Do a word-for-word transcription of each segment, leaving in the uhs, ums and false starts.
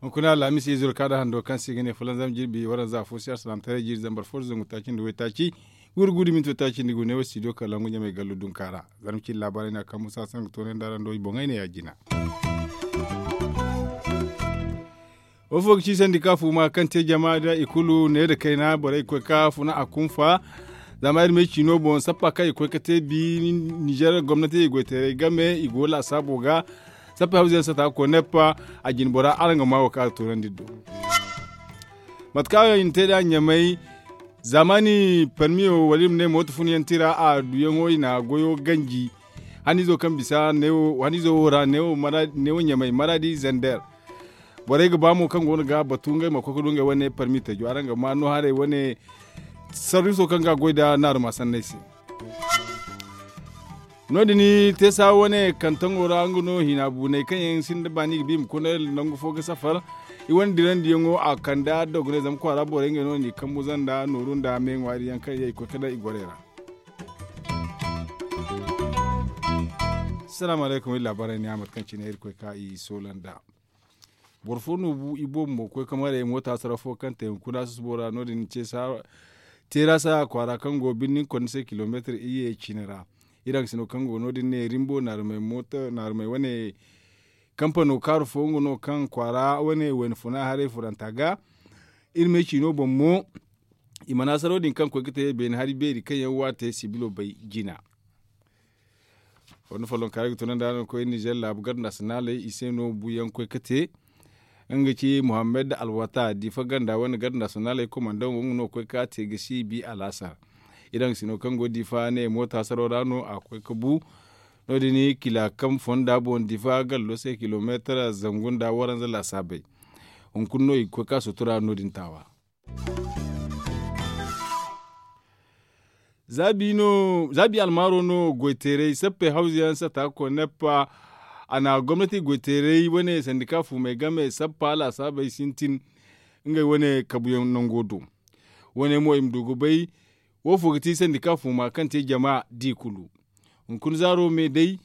Hunkuna alhamis izo ka da hando kaŋ se i ga ne fulanzam jirbi waranza fo se alsalaamataray jiiri zambar fo da zangu taaci nda waytaaci, wuri gudu minto taaci nda gu ne wo studio kalangu ɲamay gallu dunka ra. Zarma cindi laabaarey no a kaŋ musa sangu toonay nda araŋ do i boŋey ne ya- jina. Wo fo ga ci sandika fuuma kaŋ te jama da i kulu ne nda kayna borey ga koy ga funa a kunfa. Zama iri ma ay ciino boŋ sappa kaŋ i ga koy ga te bi ninzeer gomnati i goyteerey game i go laasaabo ga. Sappa hawza yaŋ sata ga koy neppa a jine bora araŋ ga maa wo kaŋ a ga toonandi iri do. Mate kaŋ i na te nd'a ɲamay zaamaani parmiyo wala iri ma ne mooto fun yaŋ tira a duyaŋo i na goyo ganji. Haniizo kaŋ bisa neewo haniizo wo ra neewo ɲamay maraadi zander. Borey ga ba mo kaŋ go no ga batu ngey ma koy ga du ngey wane parmi tajo araŋ ga ma no haray wane sarriso kaŋ ga a goy nd'a naaruma sanney se. No- din teesa wane kantaŋo ra nga no hina buuney kaŋ yaŋ sinda baani ga bi i ma koy nangu fo ga safar. I wane dirandiyaŋo a kande a dogonay zama kwaara borey ngey no no i kambu zanda nooru nda me ŋwaari yaŋ kaŋ yaŋ i koy ga daŋ i gorey ra. Salaamu alaykum iri laabaarey ne a mate kaŋ cine iri koy ga i soola nd'a. Boro fo no bu i boobo mo ga koy ga maray moota saraw fo kaŋ te hunkuna susubo ra no- din teera saaya kwaara kaŋ go birni konda se kilomeetar iyye cine ra. Iri haŋ sino kaŋ go no- din ne rimbo naarumey wane kampano kaaru fo nga no kaŋ kwaara wane wayna funa haray furanta ga. Iri me ciino boŋ mo i mana saraw din kaŋ koy ga te beene hari beeri kaŋ yaŋ waate sibilo bay jina. Wanda follonka ra ga tunandi araŋ ga koy nizer laabu garde nationaley i se no buuyaŋ koy ga te. Nga ga ci muhammad alwata difa ganda wane garde nationaley komandaŋo nga no ga koy ga te ga si bi alaasar. Iri haŋ sino kaŋ go difa ne moota saraw ra no a ga koy ga bu. No- din kila kaŋ fonda boŋ difa gallo se kilomeetar zangu nda waranza laasaabey. Hunkuna no i ga koy ga sutura no- din taawa. Zaabi almaaro no goyteeray sappey hawza yaŋ sata ga koy neppa. A na gomnati goyteeray wane sandika fuumey game sappa laasaabey sintin. Ngey wane kabuyaŋ nango do. Wane mo i ma du ga bay. Wo fo ga ti sandika fuuma kaŋ te jama di kulu. Hunkuna zaaro me day.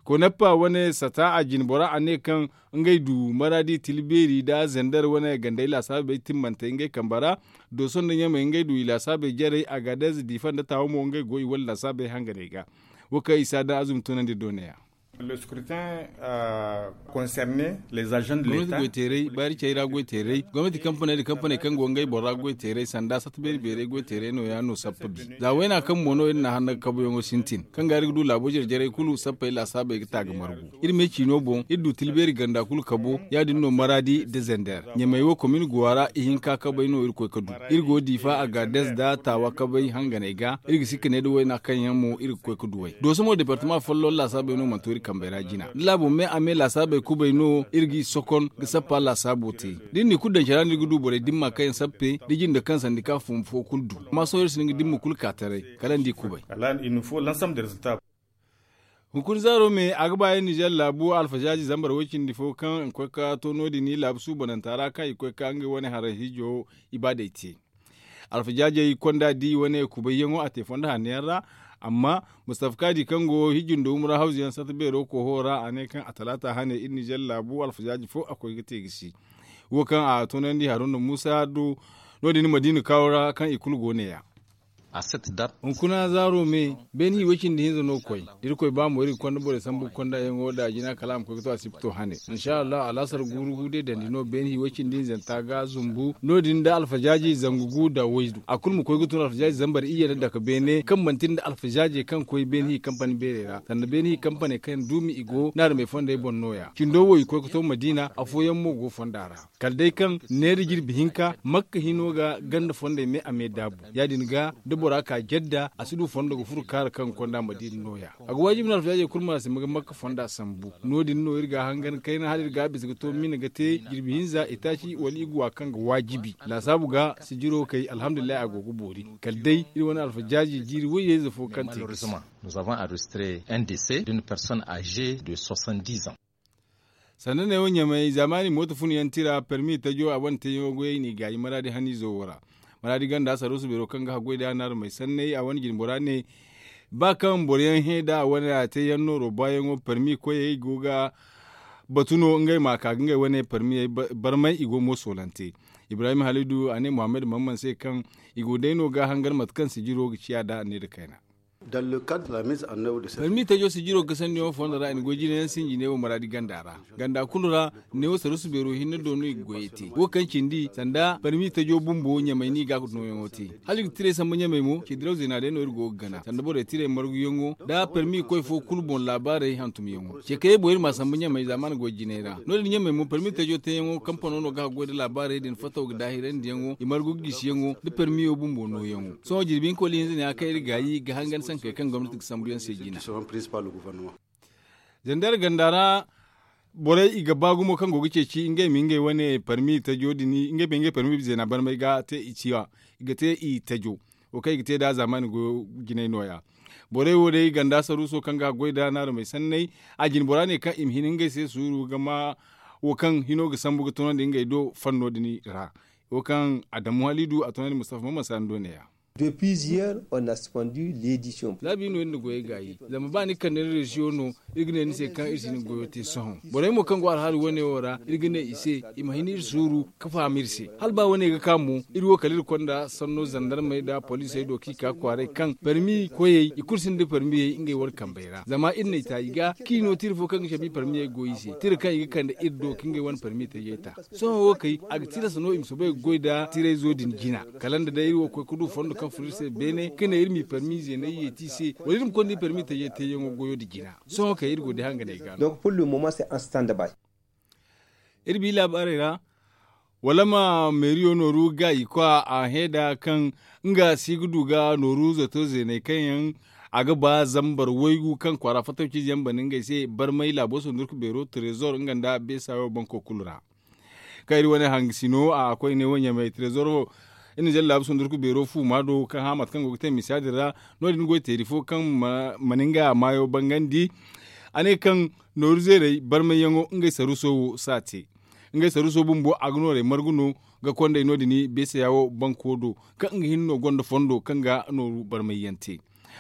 Koneppa wane sata a jine bora a ne kaŋ ngey du maraadi tilbeeri nda zender wane gandey laasaabey timmantey ngey kambe ra. Dooso nda ɲamey ngey du i laasaabey jarey a ga deeze diifa nda taawa mo ngey go i wane laasaabey hanganey ga. Wo kaŋ i si a daŋ azumi tunandi doone ya. Gomnati goyteeray baari cey ra goyteeray gomnati kampaney nda kampaney kaŋ go ngey boro ra goyteeray sanda satta beeri beeray goyteeray no- ya no sappa bi. Za wayna kaŋ mo no iri na hanna ga kabuyaŋo sintin kaŋ ga iri ga du laabo jare jarey kulu sappey laasaabey ga ta ga margu. Iri me ciino boŋ iri du tilbeeri ganda kulu kabo ya- din no maraadi nda zender ɲamey wo komin guwa ra ihinka kabey no iri koy ga du. Iri go diifa a ga dees nda taawa kabey hanganey ga iri ga si ga ne nda wayna kaŋ yaŋ mo iri ga koy ga duw'ey dooso mo deepartama folloŋ laasaabey no mana to iri kambey ra jina da laabo me a me laasaabey kubay no iri g'i sokon ga sappa laasaabo te. Da iri n'i kulu daŋ care ra no iri ga du borey dimma kaŋ yaŋ sappe da jinde kaŋ sandi ka fumbu fo kulu du. Amma sohõ iri si hin ga dimma kulu ka taray kala ni di kubay. Hunkuna zaaro me a ga ba iri nizer laabu alfazaaji zambar way-cindi fo kaŋ i koy ga to no- din laabu suubananta ra kaŋ i koy ga ngey wane haray hiijo ibaadey te. Alfajaajey konda di wane kubayyaŋo a te fondo hanno yaŋ ra. Amma mustafa kaadi kaŋ go hijji nda wumra hawzu yaŋ sata beero koho ra a ne kaŋ a talaata hane iri nizer laabu alfajaaji fo a koy ga te ga si. Wo kaŋ a toonandi haruna muusa do no- din madiina kaawo ra kaŋ i kulu go ne- ya. Hunkuna zaaro me beene hi way-cindi hinza no ga koy da irkoy ba mo iri ga konda borey sambu ga konda yaŋo da jina kala a ma koy ga to a si ga to hane. Insa allahu alaasar guuru gu day dandi no beene hi way-cindi hinzanta ga zumbu no- din nda alfajaaji zangu gu nda waydu a kulu ma koy ga tun alfajaaji zambar iyye nda dake beene kaŋ manti nda alfajaajey kaŋ koy beene hi kampani beerey ra sanda beene hi kampaney kaŋ duumi i go naarumey fondey boŋ no- ya cindo wo i koy ga to madiina afooyaŋ mo go fonda ra. Kala day kaŋ neera jirbi hinka makka hino ga ganda fondey me a me daabu ya- din ga da bora ka jedda a si du fondo ga furo kaara kaŋ ga konda madiina no- ya. A ga waajibi no alfajaajey kulu ma si ma ga makka fonda sambu no- din no iri ga a hangan kayna hala iri ga a bisa ga to mina ga te jirbi hinza itaaci wala iguwa kaŋ ga waajibi laasaabu ga sijiro kay alhamdulillahi a go ga boori. Kala day iri wane alfajaaji jiiri wayye-ize fo kaŋ te ga si. Nous avons enregistré un décès d'une personne âgée de soixante-dix ans. Sanda neewo ɲamay zaamaani mooto fun yaŋ tira permi tajo a wane teeyaŋo goyey n'i gaayi maraadi haniizo wo ra. Maraadi ganda saruusu beero kaŋ ga haggoy da naarumey sanney a wane jine bora ne, ba kaŋ boro yaŋ hẽ da a wane ra te yaŋ nooro baayaŋo parmi koyey go ga batu no ngey ma a ka ga ngey wane parmiyey barmay i go mo soolante. Ibrahim halidu a ne muhammad mamman se kaŋ i go day no ga hangan mate kaŋ sijiro ga ciya nd'a ne nda kayna. Parmi tajo sijiro ga sanniyaŋo fondo ra i na goy jinayaŋ sinji neewo maraadi ganda ra. Ganda kulu ra neewo saruusu beero hinne do no i ga goyey te wo kaŋ cindi sanda parmi tajo bumbo ɲamay no i ga nooyaŋo te. Hala i ga tiray sambu ɲamay mo ceediraw zeena day no iri go ga gana sanda borey tiray marguyaŋo nda parmi koy fo kulu boŋ laabaarey hantumyaŋo. Ceekayey boŋ iri ma a sambu ɲamay zaamaana goy jinay ra no- din ɲamay mo parmi tajo teeyaŋo kampano no ga haggoy nda laabaarey din fataw ga daahirandiyaŋo i margu ga gisiyaŋo nda parmiyo bumbo nooyaŋo. Sohõ jirbi hinka wala ihinza ne ya kaŋ iri gaayi ga hangan sankey kaŋ gomnati ga sambu yaŋ se jina. Zandar ganda ra borey i ga ba gumo kaŋ go ga ceeci ngey ma ngey wane parmi tajo din ngey ma ngey parmi zeena barmay ga te i ciya i ga te i tajo. Wo kaŋ i ga te nd'a zaamaani goyo jinay no- ya. Borey wo day ganda saruuso kaŋ ga haggoy nda naarumey sanney a jine bora ne kaŋ i ma hin ngey se suuru ga ma wo kaŋ hino ga sambu ga tunandi ngey do fanno din ra. Wo kaŋ adamu halidu a tunandi mustafa mamman sanda ne- ya. Za biino iri na goyey gaayi zama ba ni kande ni reziyo no iri ga ne ni se kaŋ iri si ni goyo te sohõ. Borey mo kaŋ go alhaali wane wo ra iri ga ne i se i ma hin iri suuru ka faham iri se hala ba wane ga ka mo iri wo kala iri konda sanno zandarmey nda poliisey do kaŋ i ka kwaaray kaŋ parmi koyey i kulu sinda parmiyey ngey wane kambey ra zama iri na i ta i ga kaŋ i no tira fo kaŋ ga cabe i parmiyey go i se tira kaŋ i ga kande iri do ka ngey wane parmi tajey ta. Sohõ wo kay a ga tilas no i ma soobay ga goy nda tirayzo din jina kala nda day iri wo ga koy ga du fondo kaŋ furo iri se beene ka ne iri m'i parmi zeeney yeeti i se wala iri ma konda iri parmi tajey teeyaŋo goyo nda jina. Sohõ kay iri go day hanganey ga no. Iri bi laabaarey ra wala ma meeriyo nooru gaayi kwa a hẽ nda kaŋ nga si ga du ga nooru zato zeeney kaŋ yaŋ a ga ba zambar waygu kaŋ kwaara fattaw ciize yaŋ bana ngey se barmay laabo sundurku beero trezor nga nda beesayo banko kulu ra. Kaŋ iri wane hangasino a koyne wo ɲamay trezor wo iri na zallaabu sundurku beero fuuma do kaŋ hã mate kaŋ go ga te misa din ra. No- din goy teeri fo kaŋ mana nga maayo bangandi a ne kaŋ nooru zeerey barmayyaŋo ngey saruuso wo si a te. Ngey saruuso bumbo a ga noorey margu no ga kondey no- din beesaya wo banko do kaŋ nga hinne no gonda fondo kaŋ ga nooru barmayyaŋ te.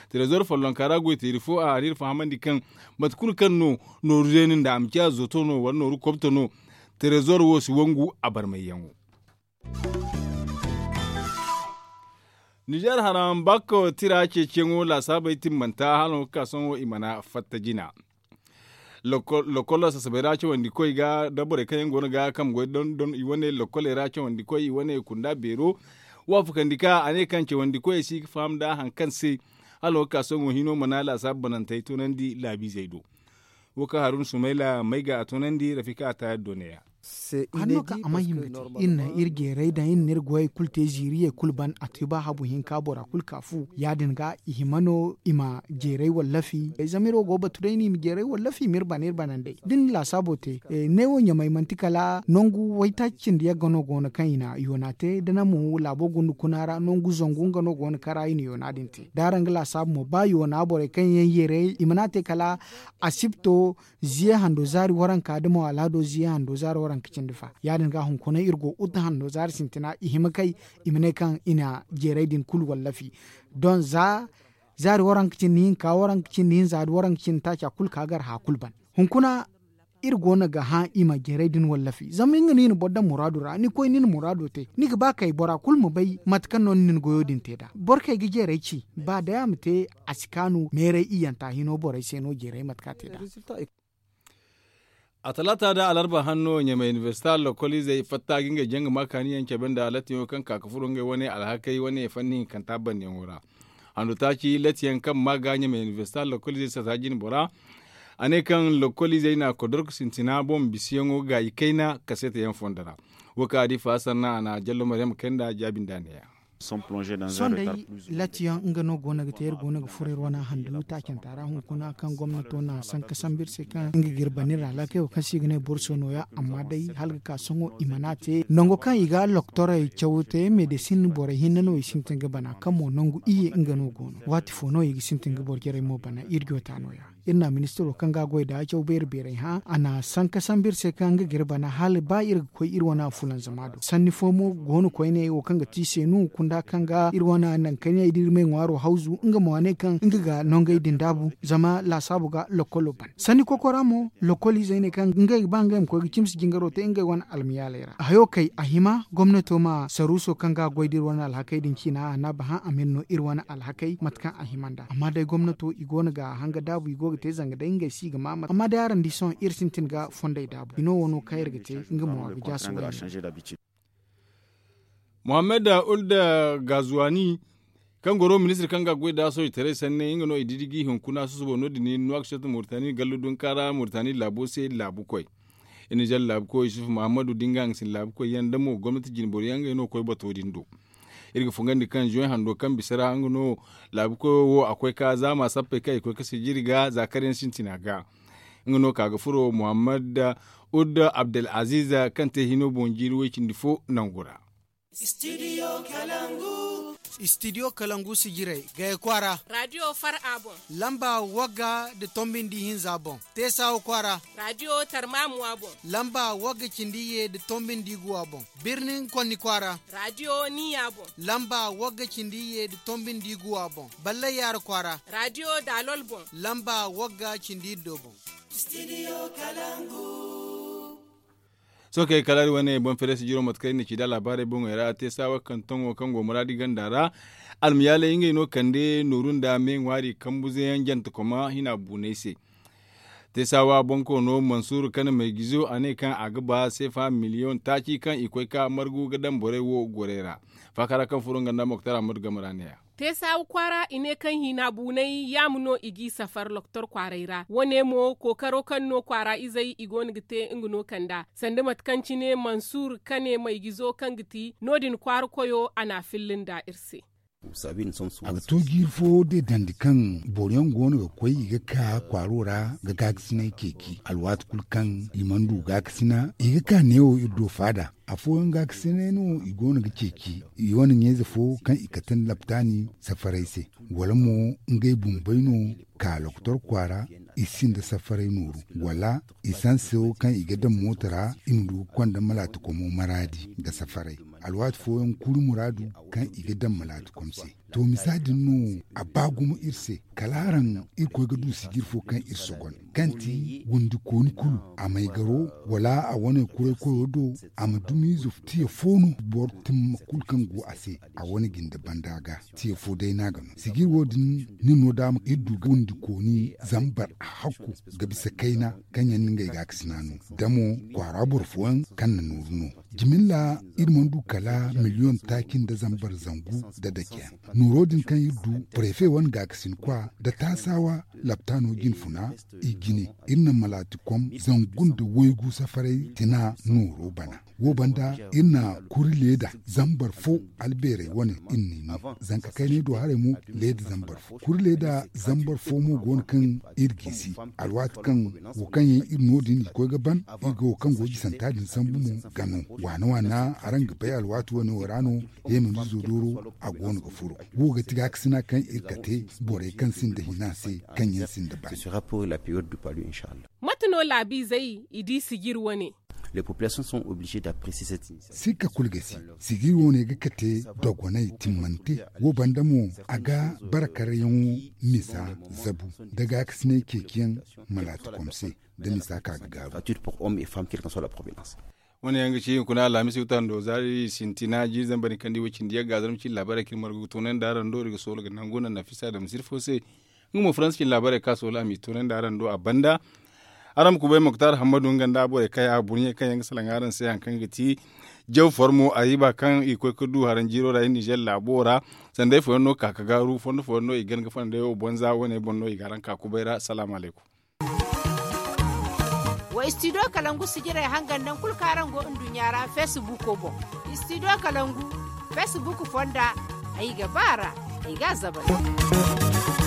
Trezor follonka ra goy teeri fo a n'iri fahamandi kaŋ mate kulu kaŋ no nooru zeeni nda a ma ciya zoto no wala nooru kobto no. Trezor wo si wangu a barmayyaŋo. Nizeer haram bakko tira ceeciyaŋo laasaabey timmanta hala nga ga ka sohõ i mana fatta jina. Lokol sasabey ra cawandi koy ga da borey kaŋ yaŋ go no ga kambe goy dondon i wane lokoley ra cawandi koy i wane kunda beero. Waafakandi ka a ne kaŋ cawandi koyey si ga faham nda hari kaŋ se hala nga ga ka sohõ hino mana laasaabu banantey toonandi laabiizey do. Wo kaŋ haruna sumayla may ga a toonandi rafika a taayar do neeya. Hanno kaŋ a mana hima ga te iri na iri jeeray daŋ iri na iri goyey kulu te ziiriyey kulu ban a te ba habu hinka bora kulu ka fu ya- din ga i hima no i ma jeeray wallafi zama iri wo go ga batu day no i ma jeeray wallafi ma iri bana iri banandey da ni na laasaabo te. Neewo ɲamay manti kala nangu waytaaci cindi yagga no go no kaŋ i na yoona te da naŋ mo laabo gunda kuna ra nangu zangu nga no go no kaŋ ra i na yoona din te da araŋ ga laasaabo mo ba yoona borey kaŋ yaŋ yeeray i mana te kala asibto ziye hando zaari waranka da mo alhado ziye hando zaari waranka cindi fa ya- din ga hunkuna iri go uta hando zaari sintina i hima kay i ma ne kaŋ i na jeeray din kulu wallafi. Don za zaari waranka cindi hinka waranka cindi hinza da waranka cindi taaca kulu ka gar haya kulu ban. Hunkuna iri go no ga hã i ma jeeray din wallafi zama nga no i na boro daŋ muraadu ra ni koy ni na muraado te ni ga ba kay bora kulu ma bay mate kaŋ no ni na ni goyo din te nd'a boro kaŋ ay ga jeeray ci ba day a ma te a si kaanu meeray iyyanta hino borey se no jeeray mate kaŋ a te nd'a. A talaata da alarba hanno ɲamay inibersita lokoliizey fatta ga ngey jaŋ ga ma kaaniyaŋ cabe nda latiyaŋo kaŋ ka ga furo ngey wane alhakey wane fanni hinkanta bandiyaŋo ra. Handu taaci latiyaŋ kaŋ ma ga ɲamay inibersita lokoliizey sata jine bora. A ne kaŋ lokoliizey na kodorku sintina boŋ bisiyaŋo gaayi kayna kaseetayaŋ fondo ra. Wo kaŋ a di faasar na a na jallo maryam kay nda jaabi nda neeya. Sohõ day latiyaŋ nga no go no ga te iri go no ga furo iri wane handu taacanta ra hunkuna kaŋ gomnato na sanka sambu iri se kaŋ nga ga iri bana iri alhakey wo kaŋ se i ga ne borso nooya amma day hala ga ka sohõ i mana te nango kaŋ i ga loktorey caw te medesin borey hinne no i sintin ga bana kaŋ mo nangu iyye nga no go no waati fo no i ga sintin ga boro jarey mo bana iri joota nooya. Iri na ministiro kaŋ ga a goy nda caw beeri beeray hã a na sanka sambu iri se kaŋ nga ga iri bana hala ba iri ga koy iri wane fulanzama do sanni fo mo go no koyne wo kaŋ ga ti seenu kunda kaŋ ga iri wane nangu kaŋ yaŋ i da iri may ŋwaaro hawzu nga mo a ne kaŋ nga ga nongey din daabu zama laasaabu ga lokkolo ban sanni kokora mo lokkol izey ne kaŋ ngey ga ba ngey ma koy ga cimsi jingaro te ngey wane almayaaley ra hayo kay a hima gomnato ma saruuso kaŋ ga a goy da iri wane alhakey din ciina a na a ba hã a ma iri no iri wane alhakey mate kaŋ a hima nd'a amma day gomnato i go no ga hanga daabu i go ga te zanga day ngey se i ga ma amma day araŋ di sohõ iri sintin ga fondey daabu bino wo no kaŋ iri ga te nga mo a ga jaasa wayne. Muhammad ulda gazuwani kaŋ goro ministir kaŋ ga goy da soojitaray sanne nga no i didigi hunkuna susubo no- din nuwakcet murtani gallu dunkaara murtani laabo se laabukoy. Iri na jalla laabukoy yusuf muhammadu da nga haŋ ga sinda laabukoy yaŋ da mo gomnati jinboro yaŋ ngey no ga koy bato din do. Iri ga fungandi kaŋ zuwey hando kaŋ bisa ra nga no laabukoyo wo a koy ka zaama sappey kaŋ i koy ga sijiri ga za kar yaŋ sintina ga. Nga no ka ga furo muhammad udda abdelaziz kaŋ te hino boŋ jiiri way cindi fo nangu ra. Istidiyo kalangu sijirey gaya kwaara. Raadiyo far a boŋ. Lamba wagga nda tombi nda ihinza boŋ. Teesawa kwaara. Raadiyo tarmamuwa boŋ. Lamba wagga cindi iyye nda tombi nda iguwa boŋ. Birnin konni kwaara. Raadiyo niya boŋ. Lamba wagga cindi iyye nda tombi nda iguwa boŋ. Ballay yaara kwaara. Raadiyo daalol boŋ. Lamba wagga cindi iddo boŋ. Sohõ kay kala iri wane boŋ feere sijiro mate kaŋ iri na ci nd'a laabaarey boŋey ra te saawa kaŋ tongo kaŋ go muraadi ganda ra. Almayaaley ngey no kande nooru nda me ŋwaari kambuze yaŋ jante koma hina buunay se. Te saawa boŋ koono mansuur kane maygizo a ne kaŋ a ga ba seefa miliyoŋ taaci kaŋ i koy ka margu ga daŋ borey wo gorey ra. Faakara kaŋ furo nga nda moktar ahmadu game ra ne- ya. Te saawa kwaara i ne kaŋ hina buunay yaama no i g'i safar loktor kwaaray ra wo- ne mo kookaro kaŋ no kwaara izey i go no ga te nga no kand'a sanda mate kaŋ cine mansuur kane maygizo kaŋ ga ti no- din kwaara koyo a n'a filla nda iri se. A ga to jiiri fo deedandi kaŋ boro yaŋ go no ga koy i ga ka kwaaro ra ga gaakasinay ceeci alwaati kulu kaŋ i mana du gaakasina i ga ka neewo iri do faada. Afooyaŋ gaakasinay no i go no ga ceeci i wane ɲeeze fo kaŋ i kate nda laptaani safaray se wala mo ngey bumbey no ka lokotor kwaara i sinda safaray nooru wala isanso kaŋ i ga daŋ mooto ra i ma du ga konda malaati komo maraadi nda safaray. Alwaati fooyaŋ kuri muraadu kaŋ i ga daŋ malaati kom se. To misa din no a ba gumo iri se kala araŋ irkoy ga du sijir fo kaŋ iri sogon kaŋ ti wundikooni kulu a may garo wala a wane kuray koyo do a ma dumi zuftiya fo no boro timma kulu kaŋ go a se a wane jinde banda ga. Tiya fo day no a ga no sijir wo- din nin no da ma iri du ga wundikooni zambar a hakku ga bisa kayna kaŋ yaŋ no ngey ga a ga sina no da mo kwaara boro fooyaŋ kaŋ na nooru no. Jimilla iri mana du kala miliyoŋ taaci nda zambar zangu nda dakeyaŋ nooro din kaŋ iri du prefe wane gaakasin kwa nda taasaawa laptaano jinfuna i jine iri na malaatikom zangu nda waygu safaray tina nooro bana. Wo banda iri na kuri leeda zambar fo albeerey wane iri n'i no zanka kaynay do haray mo leeda zambar fo kuri leeda zambar fo mo go no kaŋ iri gisi alwaati kaŋ wo kaŋ yaŋ iri no- din i koy ga ban iri ga wo kaŋ go jisanta din sambu mo ga no waana waana araŋ ga bay alwaati wane wo ra no heemandizo dooro a go no ga furo. Wo ga ti gaakasina kaŋ iri kate borey kaŋ sinda hina se kaŋ yaŋ sinda ban. Mate no laabiizey i di sijir wane? Sikka kulu ga si sijir wane ga kate dogonay timmante wo banda mo a ga bara karyaŋo misa zabu da gaakasinay ceeciyaŋ malaatikom se da misa ka ga gaaru. Wane yaŋ ga ci hunkuna alhamis wutando zaari sintina jiiri zambar ni kandi way cindi yagga zarma cindi laabaarey kaŋ iri margu ga toonandi araŋ do iri ga soolo ga nangu naŋ nafisa da misiri fo se. Nga mo faransa cindi laabaarey kaŋ a soolo a m'i toonandi araŋ do a banda. Araŋ ma kubay moktar hammadu nga nda borey kaŋ yaŋ a burɲey kaŋ yaŋ ga salaŋ araŋ se hari kaŋ ga ti jaw formo a riiba kaŋ i koy ga du haraŋ jiiro ra iri nizer laabo ra. Sanday fooyaŋ no ka ga gaaru fondo fooyaŋ no i gan ga fondey wo bonza wane boŋ no i ga araŋ ka kubay ra salaamu alaykum. Wa istidiyo kalangu sijirey hangan naŋ kulu kaŋ araŋ go nduɲɲa ra feesibuuko boŋ. Istidiyo kalangu feesibuuk fonda ay ga ba a ra ay ga a zabari.